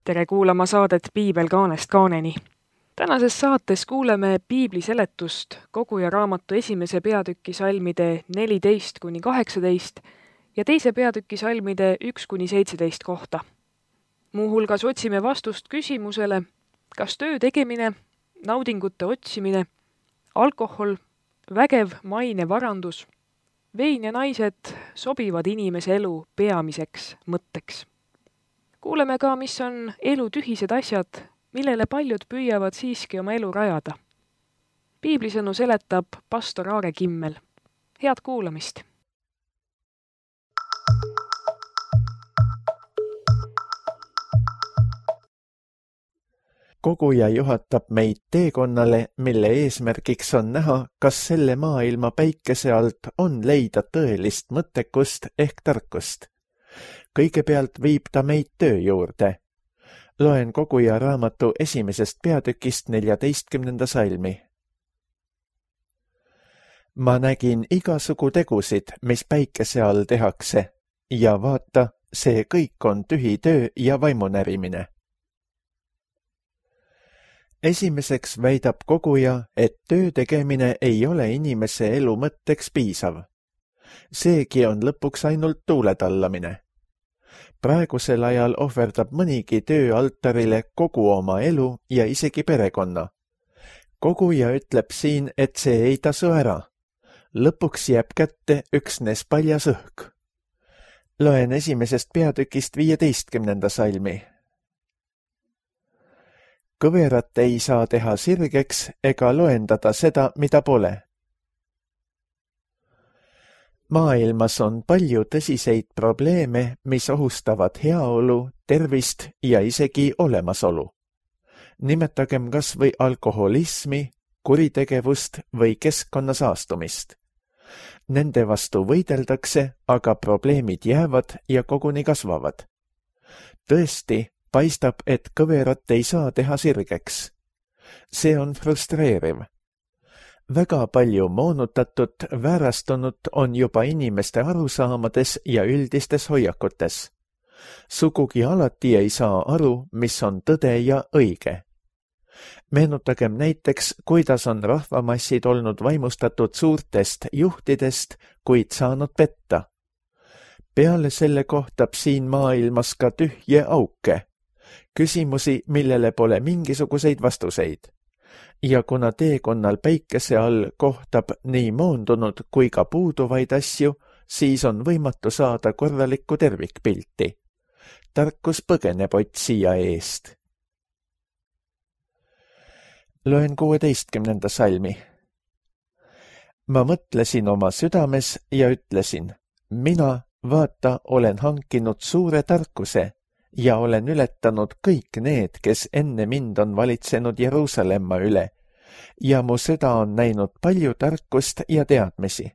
Tere kuulama saadet Piibel kaanest kaaneni. Tänases saates kuuleme piibli seletust Koguja raamatu esimese peatüki salmide 14-18 ja teise peatüki salmide 1-17 kohta. Muuhulgas otsime vastust küsimusele, kas töö tegemine, naudingute otsimine, alkohol, vägev maine varandus, vein ja naised sobivad inimese elu peamiseks mõtteks. Kuuleme ka, mis on elu tühised asjad, millele paljud püüavad siiski oma elu rajada. Piiblisõnu seletab pastor Aare Kimmel. Head kuulamist! Koguja juhatab meid teekonnale, mille eesmärgiks on näha, kas selle maailma päikese alt on leida tõelist mõttekust ehk tarkust. Kõigepealt viib ta meid töö juurde. Loen Koguja raamatu esimesest peatükist 14. salmi. Ma nägin igasugu tegusid, mis päikese all tehakse, ja vaata, see kõik on tühi töö ja vaimunärimine. Esimeseks väidab Koguja, et töö tegemine ei ole inimese elu mõtteks piisav. Seegi on lõpuks ainult tuuletallamine. Praegusel ajal ohverdab mõnigi töö altarile kogu oma elu ja isegi perekonna. Koguja ütleb siin, et see ei tasu ära. Lõpuks jääb kätte üksnes paljas õhk. Loen esimesest peatükist 15. salmi. Kõverat ei saa teha sirgeks ega loendada seda, mida pole. Maailmas on palju tõsiseid probleeme, mis ohustavad heaolu, tervist ja isegi olemasolu. Nimetagem kas või alkoholismi, kuritegevust või keskkonna saastumist. Nende vastu võideldakse, aga probleemid jäävad ja koguni kasvavad. Tõesti, paistab, et kõverat ei saa teha sirgeks. See on frustreeriv. Väga palju moonutatud, väärastunud on juba inimeste arusaamades ja üldistes hoiakutes. Sugugi alati ei saa aru, mis on tõde ja õige. Meenutagem näiteks, kuidas on rahvamassid olnud vaimustatud suurtest juhtidest, kuid saanud petta. Peale selle kohtab siin maailmas ka tühje auke. Küsimusi, millele pole mingisuguseid vastuseid. Ja kuna teekonnal päikese all kohtab nii moondunud kui ka puuduvaid asju, siis on võimatu saada korralikku tervikpilti. Tarkus põgeneb otsija eest. Loen 16. salmi. Ma mõtlesin oma südames ja ütlesin, mina, vaata, olen hankinud suure tarkuse ja olen ületanud kõik need, kes enne mind on valitsenud Jeruusalemma üle, ja mu süda on näinud palju tarkust ja teadmisi.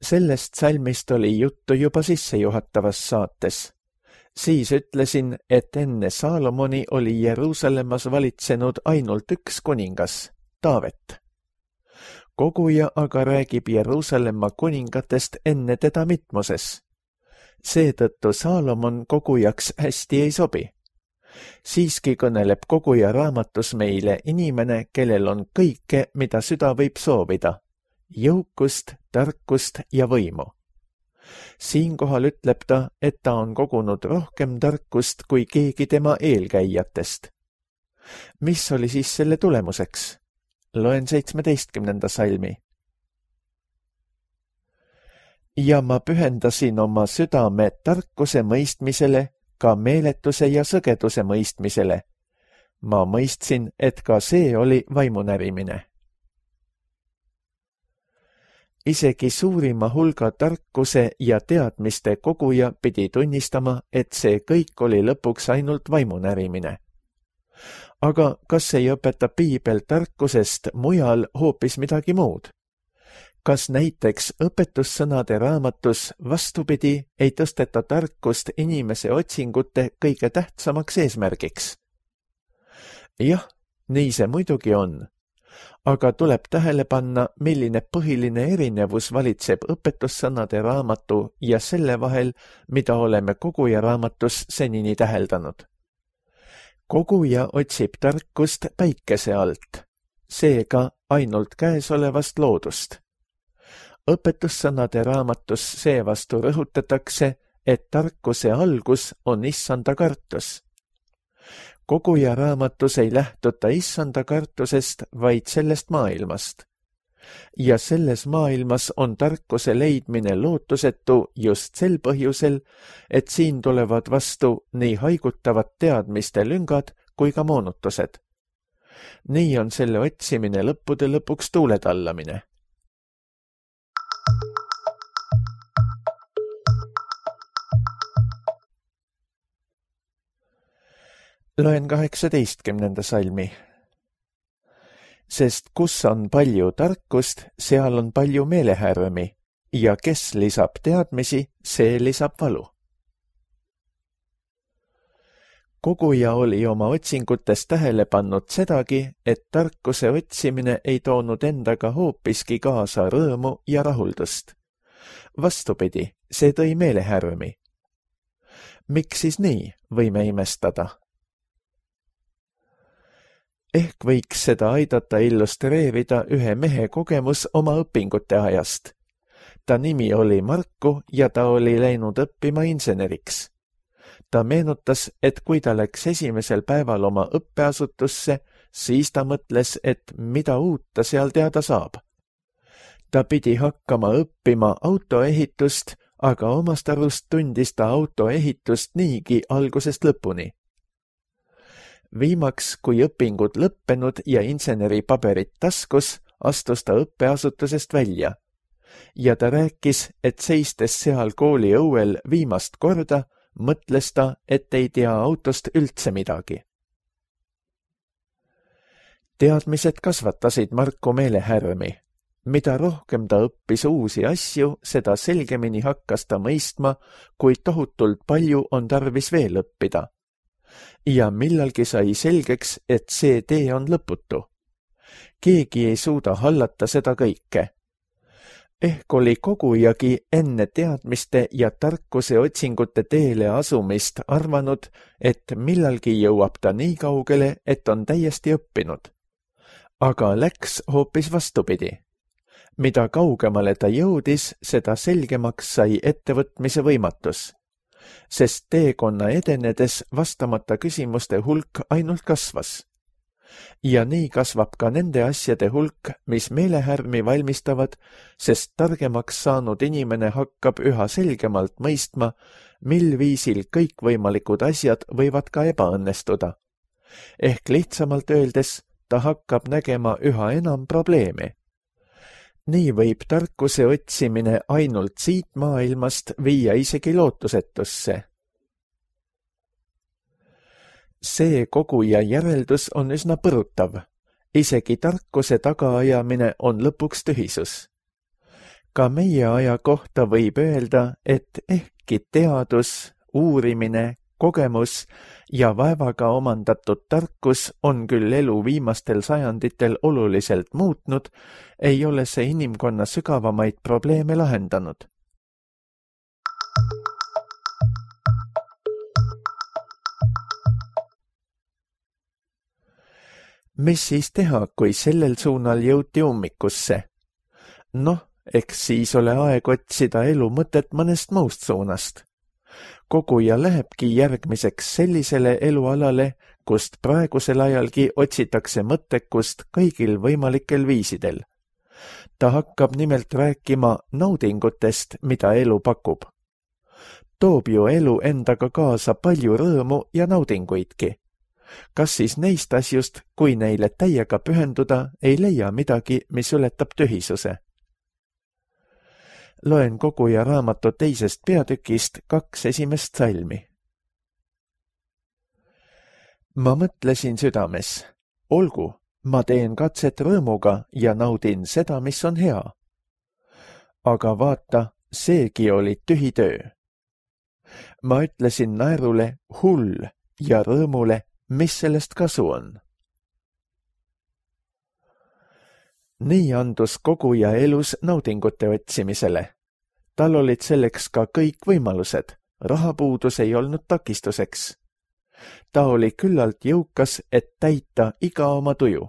Sellest salmist oli juttu juba sissejuhatavas saates. Siis ütlesin, et enne Saalomoni oli Jeruusalemmas valitsenud ainult üks kuningas, Taavet. Koguja aga räägib Jeruusalemma kuningatest enne teda mitmuses. Seetõttu Saalomon kogujaks hästi ei sobi. Siiski kõneleb Koguja raamatus meile inimene, kellel on kõike, mida süda võib soovida, jõukust, tarkust ja võimu. Siinkohal ütleb ta, et ta on kogunud rohkem tarkust kui keegi tema eelkäijatest. Mis oli siis selle tulemuseks? Loen 17. salmi. Ja ma pühendasin oma südame tarkuse mõistmisele, ka meeletuse ja sõgeduse mõistmisele. Ma mõistsin, et ka see oli vaimunärimine. Isegi suurima hulga tarkuse ja teadmiste koguja pidi tunnistama, et see kõik oli lõpuks ainult vaimunärimine. Aga kas ei õpeta piibel tarkusest mujal hoopis midagi muud? Kas näiteks õpetussõnade raamatus vastupidi ei tõsteta tarkust inimese otsingute kõige tähtsamaks eesmärgiks? Jah, nii see muidugi on. aga tuleb tähele panna, milline põhiline erinevus valitseb õpetussõnade raamatu ja selle vahel, mida oleme koguja raamatus senini täheldanud. Koguja otsib tarkust päikese alt, seega ainult käesolevast loodust. Õpetussõnade raamatus seevastu rõhutatakse, et tarkuse algus on issanda kartus. Koguja raamatus ei lähtuta issanda kartusest, vaid sellest maailmast. Ja selles maailmas on tarkuse leidmine lootusetu just sel põhjusel, et siin tulevad vastu nii haigutavad teadmiste lüngad kui ka moonutused. Nii on selle otsimine lõppude lõpuks tuuletallamine. Loen 18. salmi. Sest kus on palju tarkust, seal on palju meelehärmi, ja kes lisab teadmisi, see lisab valu. Koguja oli oma otsingutes tähele pannud sedagi, et tarkuse otsimine ei toonud endaga hoopiski kaasa rõõmu ja rahuldust. Vastupidi, see tõi meelehärmi. Miks siis nii, võime imestada? Ehk võiks seda aidata illustreerida ühe mehe kogemus oma õpingute ajast. Ta nimi oli Marku ja ta oli läinud õppima inseneriks. Ta meenutas, et kui ta läks esimesel päeval oma õppeasutusse, siis ta mõtles, et mida uut ta seal teada saab. Ta pidi hakkama õppima autoehitust, aga omast arust tundis ta autoehitust niigi algusest lõpuni. Viimaks, kui õpingud lõppenud ja inseneripaberid taskus, astus ta õppeasutusest välja. Ja ta rääkis, et seistes seal kooli õuel viimast korda, mõtles ta, et ei tea autost üldse midagi. Teadmised kasvatasid Marku meelehärmi. Mida rohkem ta õppis uusi asju, seda selgemini hakkas ta mõistma, kui tohutult palju on tarvis veel õppida. Ja millalgi sai selgeks, et see tee on lõputu. Keegi ei suuda hallata seda kõike. Ehk oli kogujagi enne teadmiste ja tarkuse otsingute teele asumist arvanud, et millalgi jõuab ta nii kaugele, et on täiesti õppinud. Aga läks hoopis vastupidi. Mida kaugemale ta jõudis, seda selgemaks sai ettevõtmise võimatus. Sest teekonna edenedes vastamata küsimuste hulk ainult kasvas. Ja nii kasvab ka nende asjade hulk, mis meelehärmi valmistavad, sest targemaks saanud inimene hakkab üha selgemalt mõistma, mil viisil kõikvõimalikud asjad võivad ka ebaõnnestuda. Ehk lihtsamalt öeldes, ta hakkab nägema üha enam probleeme. Nii võib tarkuse otsimine ainult siit maailmast viia isegi lootusetusse. See koguja järeldus on üsna põrutav. Isegi tarkuse tagaajamine on lõpuks tühisus. Ka meie aja kohta võib öelda, et ehkki teadus, uurimine, kogemus ja vaevaga omandatud tarkus on küll elu viimastel sajanditel oluliselt muutnud, ei ole see inimkonna sügavamaid probleeme lahendanud. Mis siis teha, kui sellel suunal jõuti ummikusse? Noh, eks siis ole aeg otsida elu mõtet mõnest muust suunast. Koguja lähebki järgmiseks sellisele elualale, kust praegusel ajalgi otsitakse mõttekust kõigil võimalikel viisidel. Ta hakkab nimelt rääkima naudingutest, mida elu pakub. Toob ju elu endaga kaasa palju rõõmu ja naudinguidki. Kas siis neist asjust, kui neile täiega pühenduda, ei leia midagi, mis ületab tühisuse? Loen koguja raamatu teisest peatükist 2 esimest salmi. Ma mõtlesin südames, olgu, ma teen katset rõõmuga ja naudin seda, mis on hea. Aga vaata, seegi oli tühi töö. Ma ütlesin naerule hull ja rõõmule, mis sellest kasu on. Nii andus koguja elus naudingute otsimisele. Tal olid selleks ka kõik võimalused, rahapuudus ei olnud takistuseks. Ta oli küllalt jõukas, et täita iga oma tuju.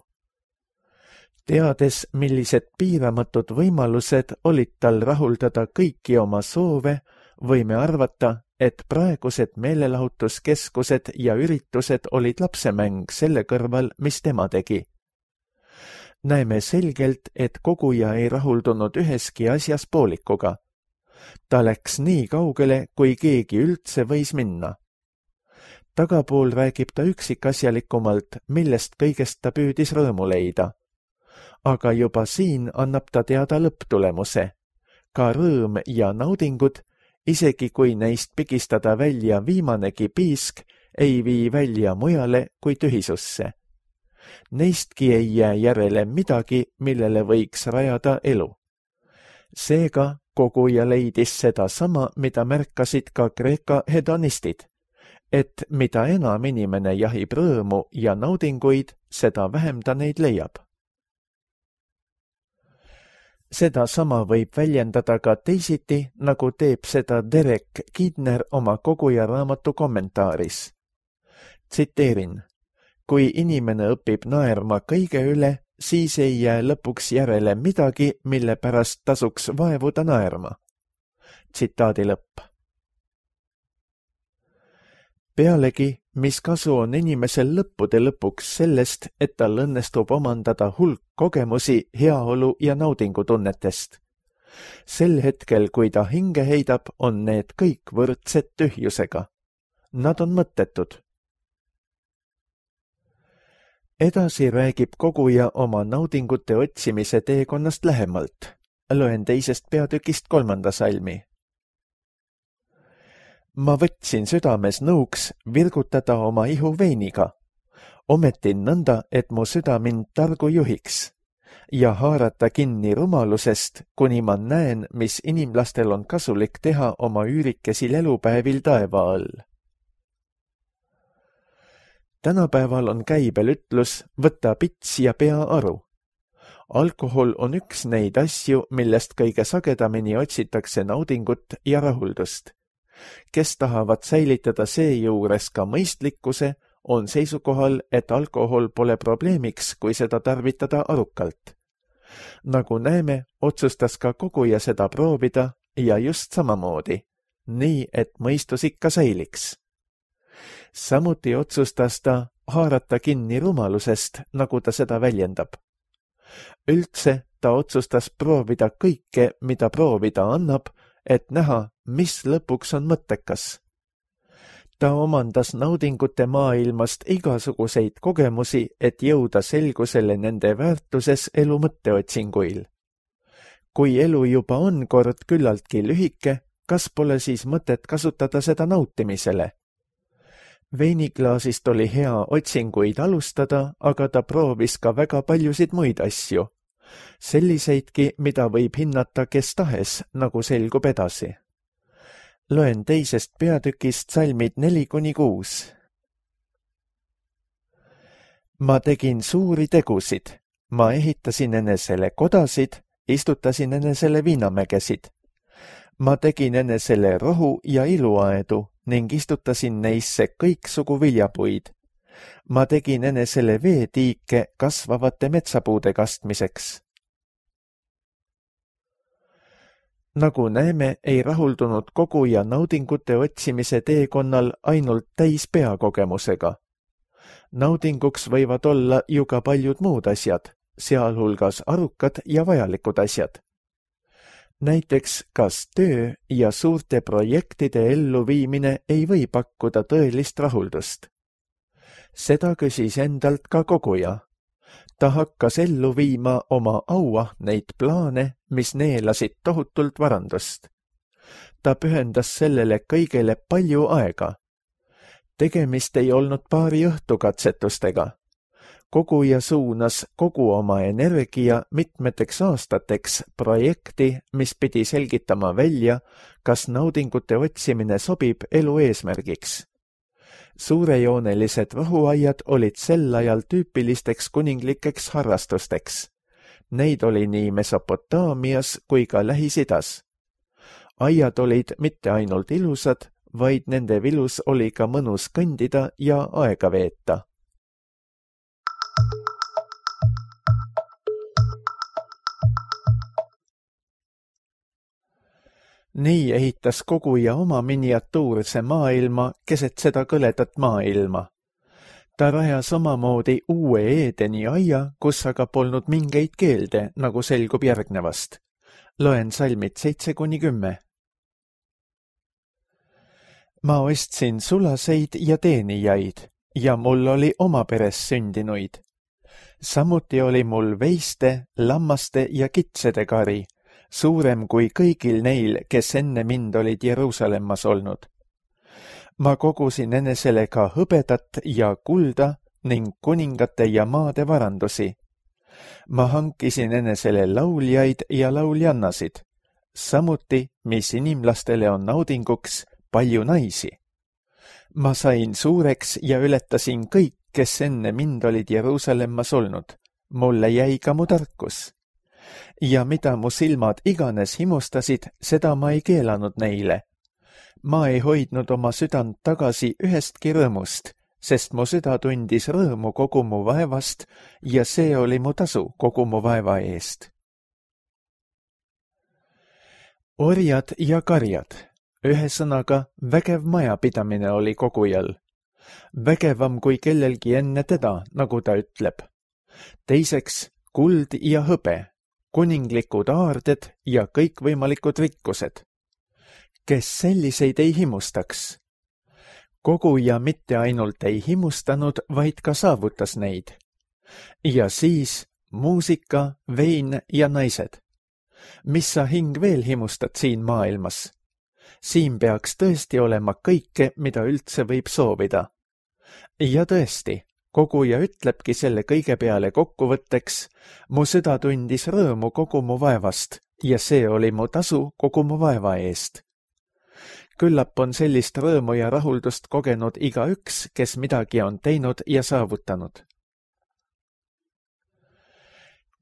Teades, millised piiramatud võimalused olid tal rahuldada kõiki oma soove, võime arvata, et praegused meelelahutuskeskused ja üritused olid lapsemäng selle kõrval, mis tema tegi. Näeme selgelt, et koguja ei rahuldunud üheski asjas poolikuga. Ta läks nii kaugele, kui keegi üldse võis minna. Tagapool räägib ta üksikasjalikumalt, millest kõigest ta püüdis rõõmu leida. Aga juba siin annab ta teada lõpptulemuse. Ka rõõm ja naudingud, isegi kui neist pigistada välja viimanegi piisk, ei vii välja mujale kui tühisusse. Neistki ei jää järele midagi, millele võiks rajada elu. Seega koguja leidis seda sama, mida märkasid ka Kreeka hedonistid, et mida enam inimene jahib rõõmu ja naudinguid, seda vähem ta neid leiab. Seda sama võib väljendada ka teisiti, nagu teeb seda Derek Kidner oma koguja raamatu kommentaaris. Tsiteerin: kui inimene õpib naerma kõige üle, siis ei jää lõpuks järele midagi, mille pärast tasuks vaevuda naerma. Tsitaadi lõpp. Pealegi, mis kasu on inimesel lõppude lõpuks sellest, et tal õnnestub omandada hulk kogemusi heaolu ja naudingutunnetest. Sel hetkel, kui ta hinge heidab, on need kõik võrdsed tühjusega. Nad on mõttetud. Edasi räägib koguja oma naudingute otsimise teekonnast lähemalt. Loen 2. peatükist 3. salmi. Ma võtsin südames nõuks virgutada oma ihu veiniga. Ometin nõnda, et mu süda mind targu juhiks ja haarata kinni rumalusest, kuni ma näen, mis inimlastel on kasulik teha oma üürikesil elupäevil taeva all. Tänapäeval on käibel ütlus, võta pits ja pea aru. Alkohol on üks neid asju, millest kõige sagedamini otsitakse naudingut ja rahuldust. Kes tahavad säilitada seejuures ka mõistlikkuse, on seisukohal, et alkohol pole probleemiks, kui seda tarvitada arukalt. Nagu näeme, otsustas ka koguja seda proovida ja just samamoodi, nii et mõistus ikka säiliks. Samuti otsustas ta haarata kinni rumalusest, nagu ta seda väljendab. Üldse ta otsustas proovida kõike, mida proovida annab, et näha, mis lõpuks on mõttekas. Ta omandas naudingute maailmast igasuguseid kogemusi, et jõuda selgusele nende väärtuses elu mõtteotsinguil. Kui elu juba on kord küllaltki lühike, kas pole siis mõtet kasutada seda nautimisele? Veiniklaasist oli hea otsinguid alustada, aga ta proovis ka väga paljusid muid asju. Selliseidki, mida võib hinnata kes tahes, nagu selgub edasi. Loen 2. peatükist salmid 4-6. Ma tegin suuri tegusid. Ma ehitasin enesele kodasid, istutasin enesele viinamägesid. Ma tegin enesele rohu ja iluaedu ning istutasin neisse kõiksugu viljapuid. Ma tegin enesele veetiike kasvavate metsapuude kastmiseks. Nagu näeme, ei rahuldunud koguja naudingute otsimise teekonnal ainult täis peakogemusega. Naudinguks võivad olla ju ka paljud muud asjad, sealhulgas arukad ja vajalikud asjad. Näiteks, kas töö ja suurte projektide elluviimine ei või pakkuda tõelist rahuldust? Seda küsis endalt ka koguja. Ta hakkas ellu viima oma auahneid plaane, mis neelasid tohutult varandust. Ta pühendas sellele kõigele palju aega. Tegemist ei olnud paari õhtukatsetustega. Koguja suunas kogu oma energia mitmeteks aastateks projekti, mis pidi selgitama välja, kas naudingute otsimine sobib elu eesmärgiks. Suurejoonelised rohuaiad olid sel ajal tüüpilisteks kuninglikeks harrastusteks. Neid oli nii Mesopotaamias kui ka Lähis-Idas. Aiad olid mitte ainult ilusad, vaid nende vilus oli ka mõnus kõndida ja aega veeta. Nii ehitas koguja oma miniatuurse maailma keset seda kõledat maailma. Ta rajas omamoodi uue Eedeni aia, kus aga polnud mingeid keelde, nagu selgub järgnevast. Loen salmid 7-10. Ma ostsin sulaseid ja teenijaid ja mul oli oma peres sündinuid. Samuti oli mul veiste, lammaste ja kitsede kari, suurem kui kõigil neil, kes enne mind olid Jeruusalemmas olnud. Ma kogusin enesele ka hõbedat ja kulda ning kuningate ja maade varandusi. Ma hankisin enesele lauljaid ja lauljannasid, samuti, mis inimlastele on naudinguks, palju naisi. Ma sain suureks ja ületasin kõik, kes enne mind olid Jeruusalemmas olnud. Mulle jäi ka mu tarkus. Ja mida mu silmad iganes himustasid, seda ma ei keelanud neile. Ma ei hoidnud oma südant tagasi ühestki rõõmust, sest mu süda tundis rõõmu kogu mu vaevast ja see oli mu tasu kogu mu vaeva eest. Orjad ja karjad, ühesõnaga vägev majapidamine oli kogujal. Vägevam kui kellelgi enne teda, nagu ta ütleb. Teiseks kuld ja hõbe, kuninglikud aarded ja kõikvõimalikud rikkused. Kes selliseid ei himustaks? Koguja mitte ainult ei himustanud, vaid ka saavutas neid. Ja siis muusika, vein ja naised. Mis sa hing veel himustad siin maailmas? Siin peaks tõesti olema kõike, mida üldse võib soovida. Ja tõesti, koguja ütlebki selle kõige peale kokkuvõtteks, mu süda tundis rõõmu kogu mu vaevast ja see oli mu tasu kogu mu vaeva eest. Küllap on sellist rõõmu ja rahuldust kogenud igaüks, kes midagi on teinud ja saavutanud.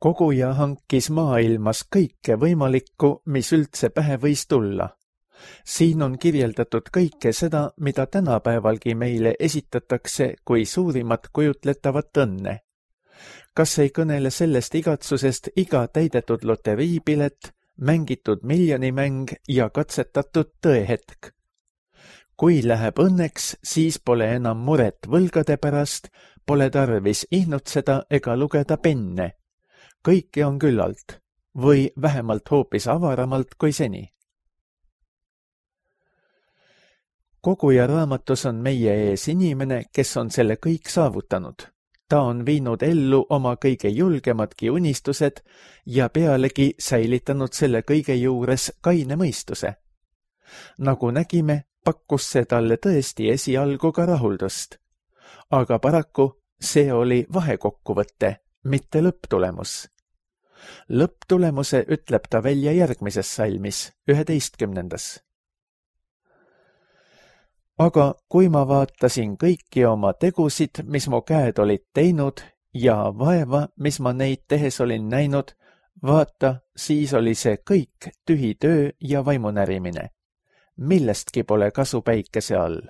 Koguja hankis maailmas kõike võimalikku, mis üldse pähe võis tulla. Siin on kirjeldatud kõike seda, mida tänapäevalgi meile esitatakse kui suurimat kujutletavat õnne. Kas ei kõnele sellest igatsusest iga täidetud loteriipilet, mängitud miljonimäng ja katsetatud tõehetk? Kui läheb õnneks, siis pole enam muret võlgade pärast, pole tarvis ihnutseda ega lugeda penne. Kõike on küllalt, või vähemalt hoopis avaramalt kui seni. Koguja raamatus on meie ees inimene, kes on selle kõik saavutanud. Ta on viinud ellu oma kõige julgemadki unistused ja pealegi säilitanud selle kõige juures kaine mõistuse. Nagu nägime, pakkus see talle tõesti esialgu ka rahuldust. Aga paraku see oli vahekokkuvõte, mitte lõpptulemus. Lõpptulemuse ütleb ta välja järgmises salmis, 11. Aga kui ma vaatasin kõiki oma tegusid, mis mu käed olid teinud ja vaeva, mis ma neid tehes olin näinud, vaata, siis oli see kõik tühi töö ja vaimunärimine. Millestki pole kasu päikese all.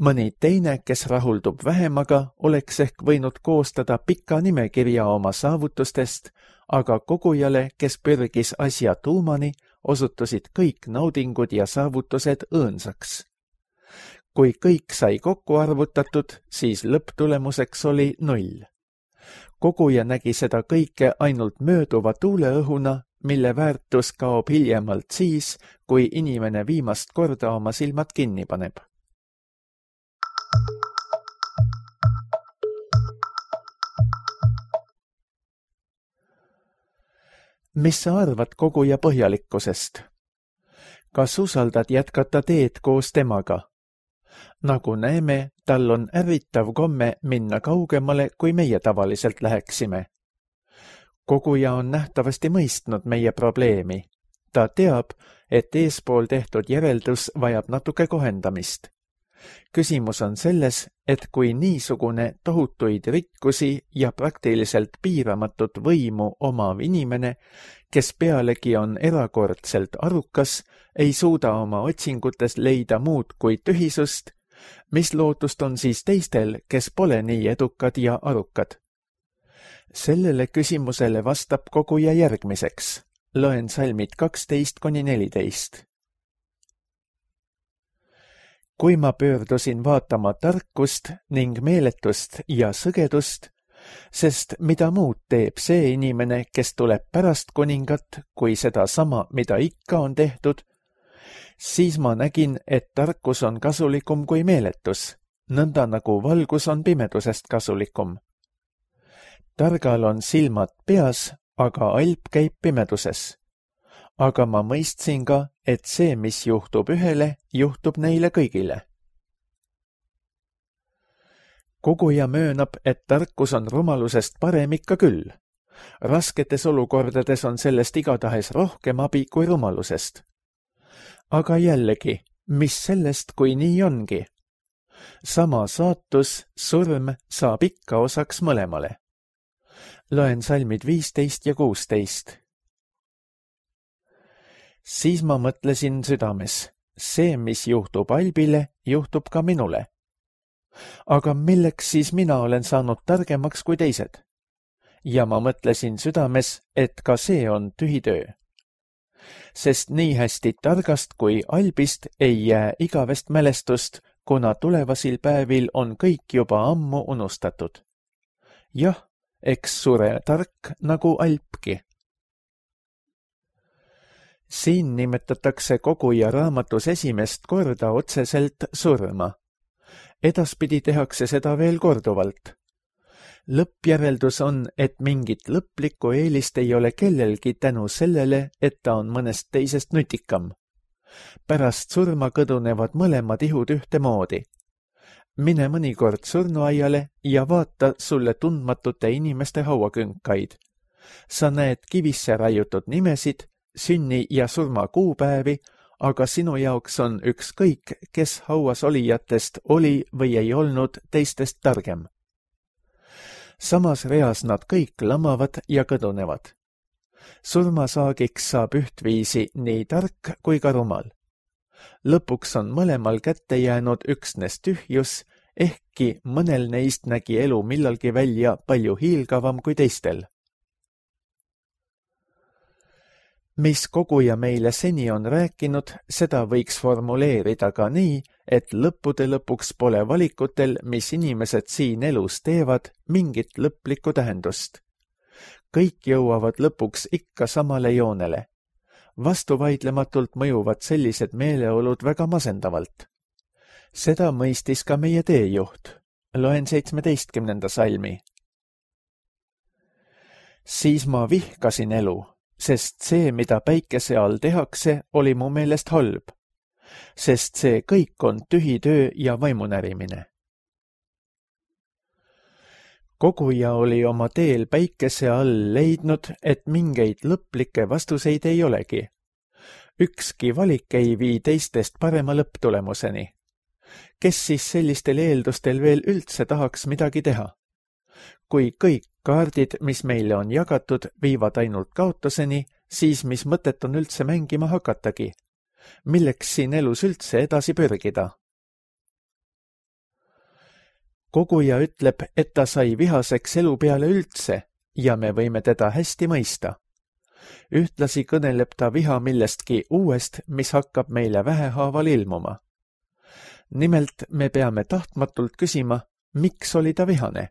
Mõni teine, kes rahuldub vähemaga, oleks ehk võinud koostada pika nimekirja oma saavutustest, aga kogujale, kes pürgis asja tuumani, osutusid kõik naudingud ja saavutused õõnsaks. Kui kõik sai kokku arvutatud, siis lõpptulemuseks oli 0. Koguja nägi seda kõike ainult mööduva tuuleõhuna, mille väärtus kaob hiljemalt siis, kui inimene viimast korda oma silmad kinni paneb. Mis sa arvad koguja põhjalikkusest? Kas usaldad jätkata teed koos temaga? Nagu näeme, tal on ärritav komme minna kaugemale, kui meie tavaliselt läheksime. Koguja on nähtavasti mõistnud meie probleemi. Ta teab, et eespool tehtud järeldus vajab natuke kohendamist. Küsimus on selles, et kui niisugune tohutuid rikkusi ja praktiliselt piiramatut võimu omav inimene, kes pealegi on erakordselt arukas, ei suuda oma otsingutes leida muud kui tühisust, mis lootust on siis teistel, kes pole nii edukad ja arukad? Sellele küsimusele vastab koguja järgmiseks. Loen salmid 12–14. Kui ma pöördusin vaatama tarkust ning meeletust ja sõgedust, sest mida muud teeb see inimene, kes tuleb pärast kuningat, kui seda sama, mida ikka on tehtud, siis ma nägin, et tarkus on kasulikum kui meeletus, nõnda nagu valgus on pimedusest kasulikum. Targal on silmad peas, aga alp käib pimeduses. Aga ma mõistsin ka, et see, mis juhtub ühele, juhtub neile kõigile. Koguja möönab, et tarkus on rumalusest parem ikka küll. Rasketes olukordades on sellest igatahes rohkem abi kui rumalusest. Aga jällegi, mis sellest, kui nii ongi? Sama saatus, surm, saab ikka osaks mõlemale. Loen salmid 15 ja 16. Siis ma mõtlesin südames, see, mis juhtub Albile, juhtub ka minule. Aga milleks siis mina olen saanud targemaks kui teised? Ja ma mõtlesin südames, et ka see on tühi töö. Sest nii hästi targast kui Albist ei jää igavest mälestust, kuna tulevasil päevil on kõik juba ammu unustatud. Jah, eks sure tark nagu Alpki. Siin nimetatakse koguja raamatus esimest korda otseselt surma. Edaspidi tehakse seda veel korduvalt. Lõppjäreldus on, et mingit lõplikku eelist ei ole kellelgi tänu sellele, et ta on mõnest teisest nutikam. Pärast surma kõdunevad mõlemad ihud ühtemoodi. Mine mõnikord surnuaiale ja vaata sulle tundmatute inimeste hauakünkaid. Sa näed kivisse raiutud nimesid, sünni- ja surma kuupäevi, aga sinu jaoks on ükskõik, kes hauas olijatest oli või ei olnud teistest targem. Samas reas nad kõik lamavad ja kõdunevad. Surmasaagiks saab ühtviisi nii tark kui ka rumal. Lõpuks on mõlemal kätte jäänud üksnes tühjus, ehkki mõnel neist nägi elu millalgi välja palju hiilgavam kui teistel. Mis koguja meile seni on rääkinud, seda võiks formuleerida ka nii, et lõppude lõpuks pole valikutel, mis inimesed siin elus teevad, mingit lõplikku tähendust. Kõik jõuavad lõpuks ikka samale joonele. Vastuvaidlematult mõjuvad sellised meeleolud väga masendavalt. Seda mõistis ka meie teejuht. Loen 17. salmi. Siis ma vihkasin elu, sest see, mida päikese all tehakse, oli mu meelest halb, sest see kõik on tühi töö ja vaimunärimine. Koguja oli oma teel päikese all leidnud, et mingeid lõplikke vastuseid ei olegi. Ükski valik ei vii teistest parema lõpptulemuseni. Kes siis sellistel eeldustel veel üldse tahaks midagi teha? Kui kõik kaardid, mis meile on jagatud, viivad ainult kaotuseni, siis mis mõtet on üldse mängima hakatagi? Milleks siin elus üldse edasi pürgida? Koguja ütleb, et ta sai vihaseks elu peale üldse ja me võime teda hästi mõista. Ühtlasi kõneleb ta viha millestki uuest, mis hakkab meile vähehaaval ilmuma. Nimelt me peame tahtmatult küsima, miks oli ta vihane?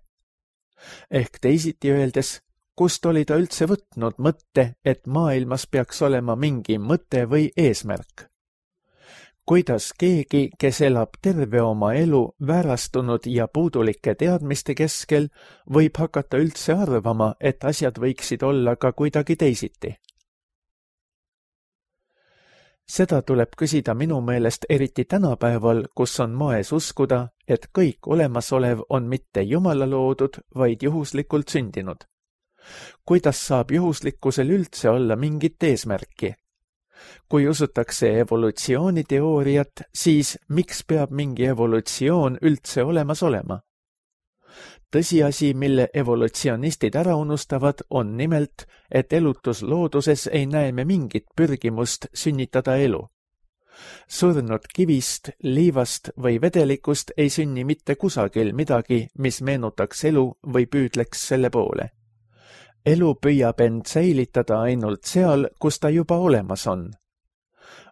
Ehk teisiti öeldes, kust oli ta üldse võtnud mõtte, et maailmas peaks olema mingi mõte või eesmärk? Kuidas keegi, kes elab terve oma elu väärastunud ja puudulike teadmiste keskel, võib hakata üldse arvama, et asjad võiksid olla ka kuidagi teisiti? Seda tuleb küsida minu meelest eriti tänapäeval, kus on moes uskuda, et kõik olemasolev on mitte Jumala loodud, vaid juhuslikult sündinud. Kuidas saab juhuslikkusel üldse olla mingit eesmärki? Kui usutakse evolutsiooniteooriat, siis miks peab mingi evolutsioon üldse olemas olema? Tõsiasi, mille evolutsionistid ära unustavad, on nimelt, et elutuslooduses ei näe me mingit pürgimust sünnitada elu. Surnud kivist, liivast või vedelikust ei sünni mitte kusagil midagi, mis meenutaks elu või püüdleks selle poole. Elu püüab end säilitada ainult seal, kus ta juba olemas on.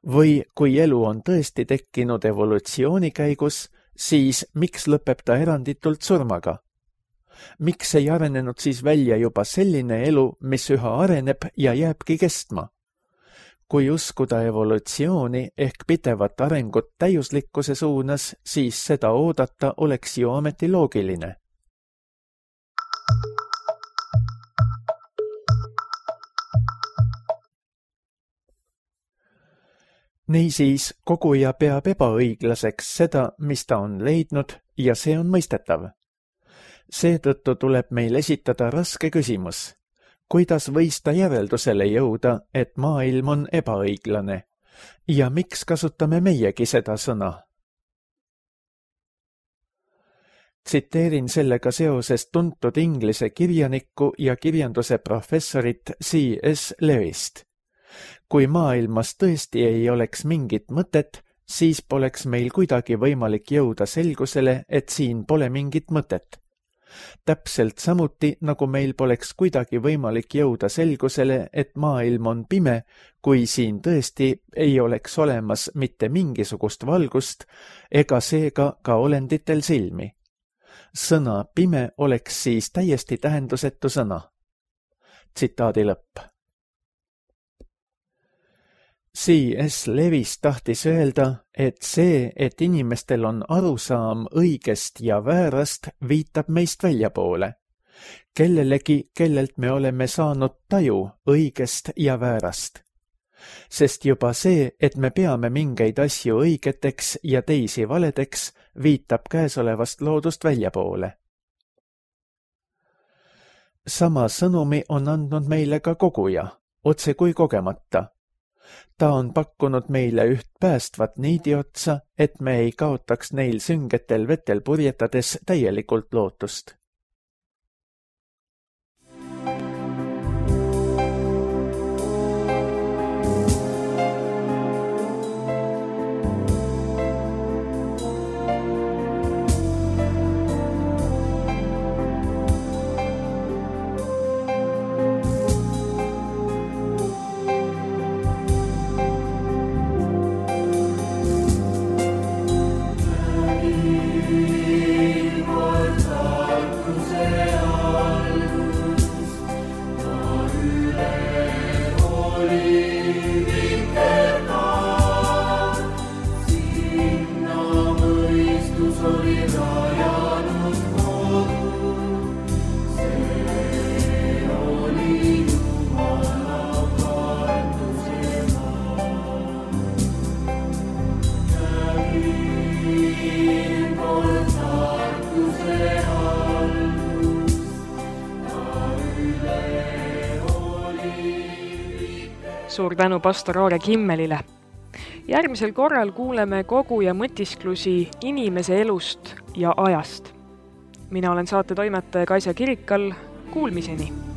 Või kui elu on tõesti tekkinud evolutsiooni käigus, siis miks lõpeb ta eranditult surmaga? Miks ei arenenud siis välja juba selline elu, mis üha areneb ja jääbki kestma? Kui uskuda evolutsiooni ehk pidevat arengut täiuslikkuse suunas, siis seda oodata oleks ju ometi loogiline. Niisiis, koguja peab ebaõiglaseks seda, mis ta on leidnud, ja see on mõistetav. Seetõttu tuleb meil esitada raske küsimus. Kuidas võis ta järeldusele jõuda, et maailm on ebaõiglane? Ja miks kasutame meiegi seda sõna? Tsiteerin sellega seoses tuntud inglise kirjanikku ja kirjanduse professorit C.S. Lewist. Kui maailmas tõesti ei oleks mingit mõtet, siis poleks meil kuidagi võimalik jõuda selgusele, et siin pole mingit mõtet. Täpselt samuti, nagu meil poleks kuidagi võimalik jõuda selgusele, et maailm on pime, kui siin tõesti ei oleks olemas mitte mingisugust valgust ega seega ka olenditel silmi. Sõna pime oleks siis täiesti tähendusetu sõna. Tsitaadi lõpp. C.S. Lewis tahtis öelda, et see, et inimestel on arusaam õigest ja väärast, viitab meist väljapoole. Kellelegi, kellelt me oleme saanud taju õigest ja väärast. Sest juba see, et me peame mingeid asju õigeteks ja teisi valedeks, viitab käesolevast loodust väljapoole. Sama sõnumi on andnud meile ka koguja, otse kui kogemata. Ta on pakkunud meile üht päästvat niidiotsa, et me ei kaotaks neil süngetel vetel purjetades täielikult lootust. Suur tänu pastor Aare Kimmelile. Järgmisel korral kuuleme koguja mõtisklusi inimese elust ja ajast. Mina olen saate toimetaja Kaisa Kirikal. Kuulmiseni!